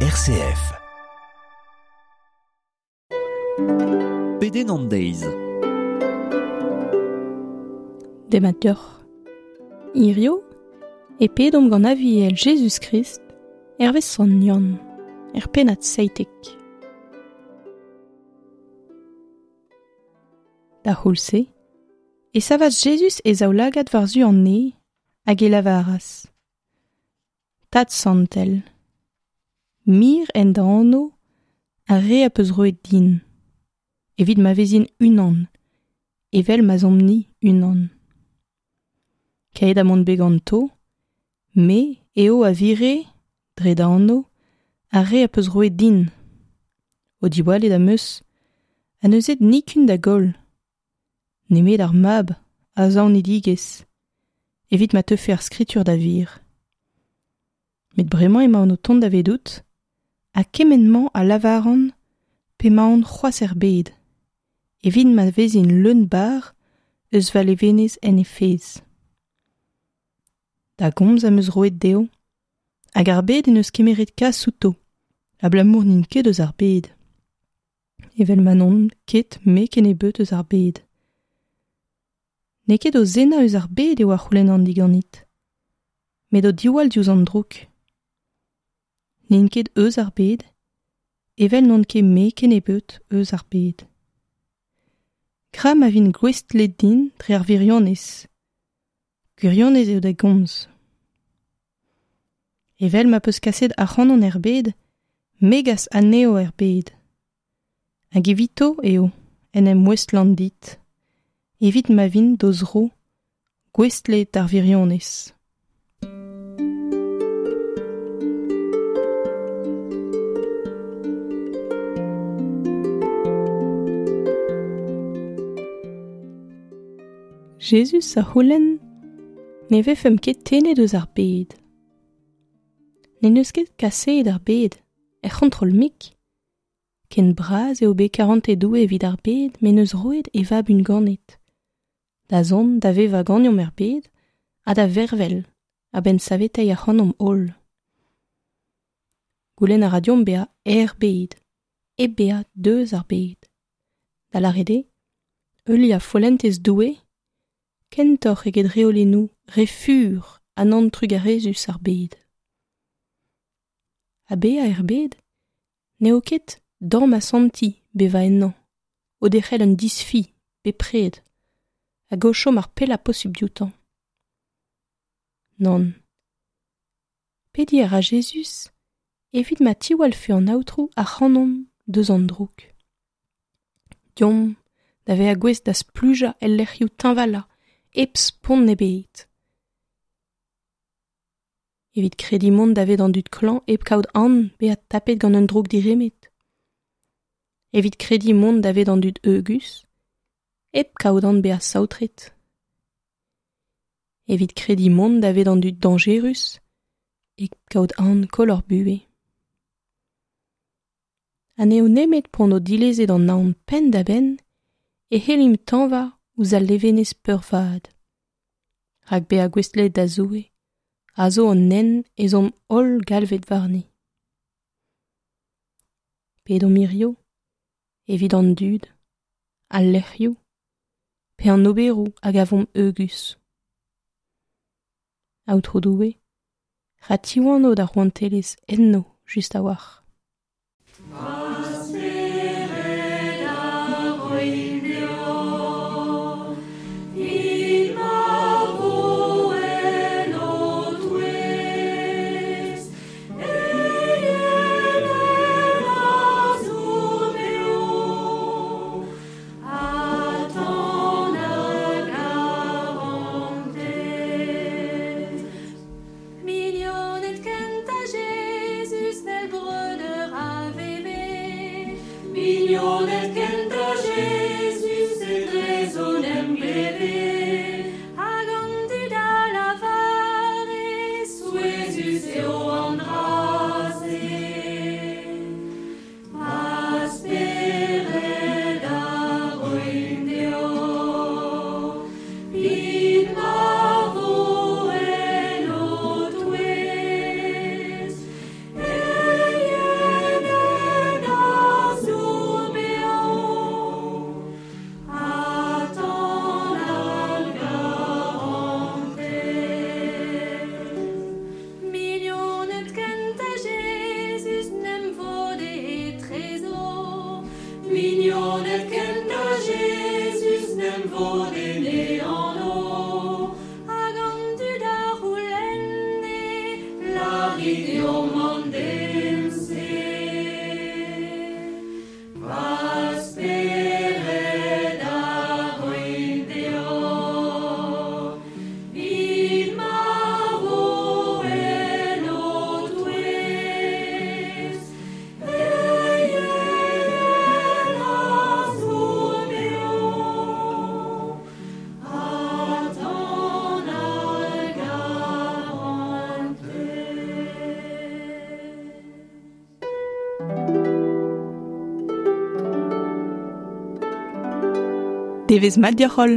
RCF. Pedenn an deiz. Demat deoc'h. Hirio e pedomp gant Aviel Jezuz-Krist hervez Sant Yann, er pennad 17. Da c'houlz-se e savas Jezuz e zaoulagad war-zu an neñv hag e lavaras: Tad santel, mir en da anv ar re a peus roet din, evit ma vezin unan, evel ma'z omp-ni unan. Kaet ha mont bet ganto, me eo a vire, dre da anv, ar re a peus roet din. O diwallet am eus, ha n'eus aet nikun da goll, nemet ar mab a zaonidigezh, evit ma teufe ar skritur da wir. Met bremañ emaon o tont davedout, ha kement-mañ a lavaran p'emaon c'hoazh er bed, evit ma vezin leun-barr eus va levenez en he fezh. Da gomz am eus roet dezho, hag ar bed en deus kemeret kas outo, abalamour n'int ket eus ar bed. Evel ma n'on ket me kennebeut eus ar bed. N'eo ket o zennañ eus ar bed eo a c'houlennan diganit, met o diwall diouzh an droug. N'int ket eus ar bed, evel n'on ket me kennebeut eus ar bed. Gra ma vin gouestlet din dre ar wirionez. Gwirionez eo da gomz. Evel ma peus kaset ac'hanon er bed, me gas anezho er bed. Hag evito eo en em ouestlan dit, evit ma vin d'o zro gouestlet d'ar wirionez. Jezuz a c'houlenn ne vefemp ket tennet eus ar bed. N'en deus ket kaseet ar bed, er c'hontrol-mik. Ken bras eo bet karantez Doue evit ar bed m'en deus roet e vab unganet. Da zont da vevañ ganeomp er bed ha da vervel a-benn saveteiñ ac'hanomp holl. Goulenn a ra deomp bezañ er bed, hep bezañ deus ar bed. Da lâret eo, heuliañ follentez Doue kentoc'h eget reolennoù re fur ha nann trugarezus ar bed. Ha bezañ er bed n'eo ket dam asantiñ bevañ ennañ, o derc'hel un disfi bepred hag o chom ar pellañ posupl dioutañ. Nann. Pediñ a ra Jezuz evit ma tiwallfe an Aotrou ac'hanomp deus an droug. Deomp da vezañ gouest da splujañ el lec'hioù teñvalañ hep spont ebet. Evit krediñ mont davet an dud klañv hep kaout aon bezañ tapet gant un droug diremed. Evit krediñ mont davet an dud heugus hep kaout aon bezañ saotret. Evit krediñ mont davet an dud dañjerus hep kaout aon koll hor buhez. Ha n'eo nemet p'hon o dilezet an aon penn-da-benn e c'hellimp tañva ouzh al levenez peurvat. Rak bezañ gouestlet da Zoue a zo an hent ez omp holl galvet warni. Pedomp hirio evit an dud, al lec'hioù pe an oberoù a gavomp heugus. Aotrou Doue, ra tiwano da rouantelezh enno just a-walc'h. Devezh mat deoc'h holl.